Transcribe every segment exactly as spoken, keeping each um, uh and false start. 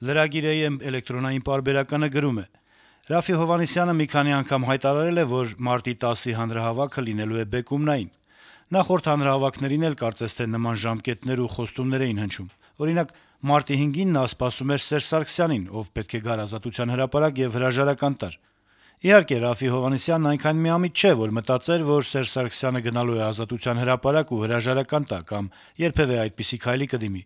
Lragir A M էլեկտրոնային պարբերականը գրում է. - «Ռաֆի Հովհաննիսյանը մի քանի անգամ հայտարարել է, որ մարտի տասի հանրահավաքը լինելու է բեկումնային: Նախորդ հանրահավաքներին էլ կարծես թե նման ժամկետներ ու խոստումներ էին հնչում: Օրինակ, մարտի հինգին նա սպասում էր Սերժ Սարգսյանին, ով պետք է գար Ազատության հրապարակ եւ հրաժարական տար: Իհարկե, Ռաֆի Հովհաննիսյանն այնքան միամիտ չէ, որ մտածեր, որ Սերժ Սարգսյանը գնալու է Ազատության հրապարակ ու հրաժարական տա կամ երբեւէ այդպիսի քայլի կդիմի: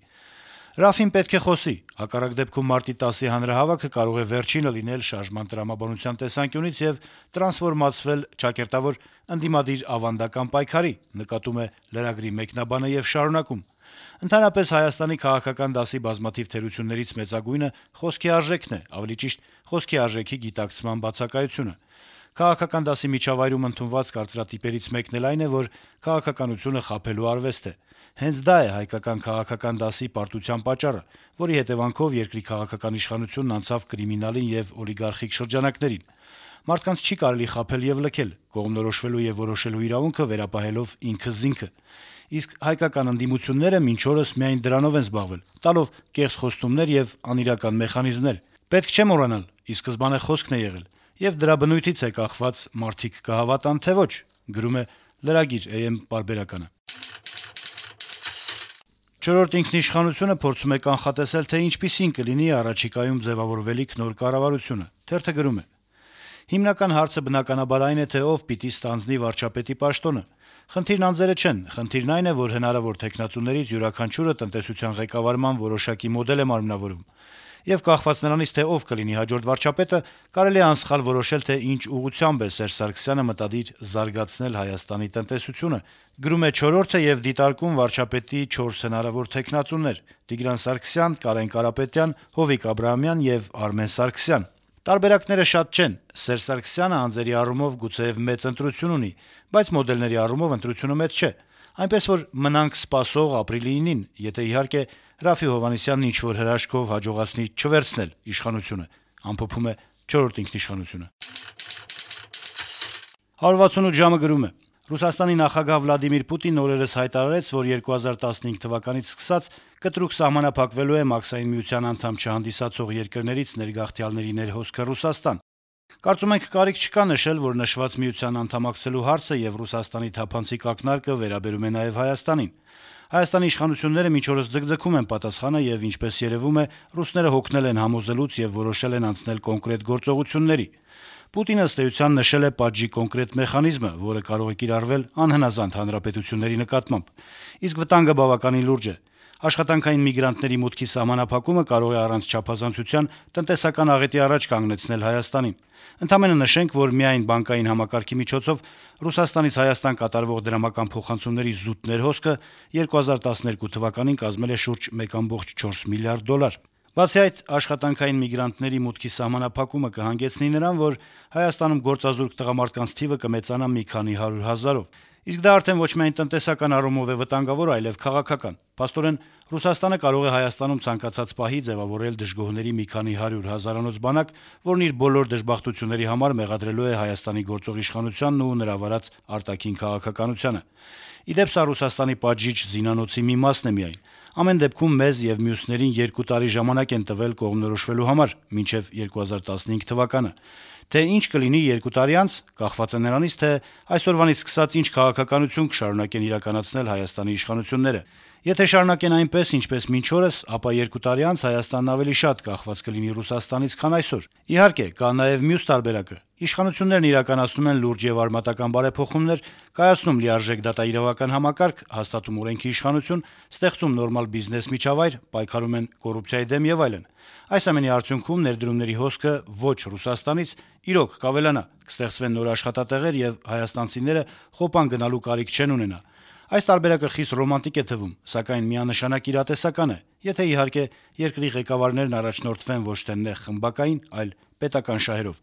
Ռաֆին պետք է խոսի, հակառակ դեպքում մարտի տասի հանրահավաքը կարող է վերջինը լինել շարժման տրամաբանության տեսանկյունից եւ տրանսֆորմացվել ճակերտավոր ընդդիմադիր ավանդական պայքարի», նկատում է լրագրի մեկնաբանը եւ շարունակում. - «Ընդհանրապես Հայաստանի քաղաքական դասի բազմաթիվ թերություններից մեծագույնը խոսքի արժեքն է, ավելի ճիշտ՝ խոսքի արժեքի գիտակցման բացակայությունը: Քաղաքական դասի միջավայրում ընդունված կարծրատիպերից մեկն էլ այն է, որ քաղաքականությունը խաբելու արվեստ է: Հենց դա է հայկական քաղաքական դասի պարտության պատճառը, որի հետեւանքով երկրի քաղաքական իշխանությունն անցավ կրիմինալին եւ օլիգարխիկ շրջանակներին: Մարդկանց չի կարելի խաբել եւ լքել՝ կողմնորոշվելու եւ որոշելու իրավունքը վերապահելով ինքզինքը: Իսկ հայկական ընդդիմությունները մինչ օրս միայն դրանով են զբաղվել՝ տալով կեղծ խոստումներ եւ անիրական մեխանիզմներ: Պետք չէ մոռանալ՝ ի սկզբանե խոսքն է եղել, եւ դրա բնույթից է կախված մարդիկ կհավատան, թե ոչ»: «Չորրորդ ինքնիշխանություն»-ը փորձում է կանխատեսել, թե ինչպիսին կլինի առաջիկայում ձեւավորվելիք նոր կառավարությունը: Թերթը գրում է. - «Հիմնական հարցը բնականաբար այն է, թե ով պիտի ստանձնի վարչապետի պաշտոնը: Խնդիրն անձերը չեն, խնդիրն այն է, որ հնարավոր թեկնածուներից յուրաքանչյուրը տնտեսության ղեկավարման որոշակի մոդել է մարմնավորում: Եվ կախված նրանից, թե ով կլինի հաջորդ վարչապետը, կարելի է անսխալ որոշել, թե ինչ ուղղությամբ է Սերժ Սարգսյանը մտադիր զարգացնել Հայաստանի տնտեսությունը»: Գրում է «Չորրորդը» եւ դիտարկում վարչապետի չորս հնարավոր թեկնածուներ՝ Տիգրան Սարգսյան, Կարեն Կարապետյան, Հովիկ Աբրահամյան եւ Արմեն Սարգսյան: Տարբերակները շատ չեն: Սերժ Սարգսյանը անձերի առումով գուցեեւ մեծ ընտրություն ունի, բայց մոդելների առումով ընտրությունը մեծ չէ: Այնպես որ մնանք սպասող ապրիլի ինին, եթե, իհարկե, Ռաֆի Հովհաննիսյանն ինչ-որ հրաշքով հաջողացնի չվերցնել իշխանությունը»: «հարյուր վաթսունութ ժամ»-ը գրում է. - «Ռուսաստանի նախագահ Վլադիմիր Պուտինն օրերս հայտարարեց, որ երկու հազար տասնհինգ թվականից սկսած կտրուկ սահմանափակվելու է Մաքսային միության անդամ չհանդիսացող երկրներից ներգաղթյալների ներհոսքը Ռուսաստան: Կարծում ենք կարիք չկա նշել, որ նշված միության անդամակցելու հարցը եւ Ռուսաստանի թափանցիկ ակնարկը վերաբերում է նաեւ Հայաստանին: Հայաստանի իշխանությունները մինչ օրս ձգձգում են պատասխանը եւ, ինչպես երեւում է, ռուսները հոգնել են համոզելուց եւ որոշել են անցնել կոնկրետ գործողությունների: Պուտինը, ըստ էության, նշել է պատժի կոնկրետ մեխանիզմը, որը կարող է կիրառվել անհնազանդ հանրապետությունների նկատմամբ: Իսկ վտանգը բավականին լուրջ է: Աշխատանքային միգրանտների մուտքի սահմանափակումը կարող է առանց չափազանցության տնտեսական աղետի առաջ կանգնեցնել Հայաստանին: Ընդամենը նշենք, որ միայն բանկային համակարգի միջոցով Ռուսաստանից Հայաստան կատարվող դրամական փոխանցումների զուտ ներհոսքը երկու հազար տասներկու թվականին կազմել է շուրջ մեկ կողմը չորս միլիարդ դոլար: Բացի այդ, աշխատանքային միգրանտների մուտքի սահմանափակումը կհանգեցնի նրան, որ Հայաստանում գործազուրկ տղամարդկանց թիվը կմեծանա մի քանի հարյուր հազարով: Իսկ դա արդեն ոչ միայն տնտեսական առումով է վտանգավոր, այլեւ քաղաքական: Փաստորեն, Ռուսաստանը կարող է Հայաստանում ցանկացած պահի ձեւավորել դժգոհների մի քանի հարյուր հազարանոց բանակ, որն իր բոլոր դժբախտությունների համար մեղադրելու է Հայաստանի գործող իշխանությանն ու նրա վարած արտաքին քաղաքականությանը: Ի դեպ, սա Ռուսաստանի պատժիչ զինանոցի մի մասն է միայն: Ամեն դեպքում, մեզ եւ մյուսներին երկու տարի ժամանակ են տվել կողմնորոշվելու համար՝ մինչեւ երկու հազար տասնհինգ թվականը: Թե ինչ կլինի երկու տարի անց, կախված է նրանից, թե այսօրվանից սկսած ինչ քաղաքականություն կշարունակեն իրականացնել Հայաստանի իշխանությունները: Եթե շարունակեն այնպես, ինչպես մինչ օրս, ապա երկու տարի անց Հայաստանն ավելի շատ կախված կլինի Ռուսաստանից, քան այսօր: Իհարկե, կա նաեւ մյուս տարբերակը. իշխանություններն իրականացնում են լուրջ եւ արմատական բարեփոխումներ, կայացնում լիարժեք դատաիրավական համակարգ, հաստատում օրենքի իշխանություն, ստեղծում նորմալ բիզնես միջավայր, պայքարում են կոռուպցիայի դեմ եւ այլն: Այս ամենի արդյունքում ներդրումների հոսքը ոչ Ռուսաստանից իրոք կավելանա, կստեղծվեն նոր աշխատատեղեր եւ հայաստանցիները խոպան գնալու կարիք չեն ունենա: Այս տարբերակը խիստ ռոմանտիկ է թվում, սակայն միանշանակ իրատեսական է, եթե, իհարկե, երկրի ղեկավարներն առաջնորդվեն ոչ թե նեղ խմբակային, այլ պետական շահերով»: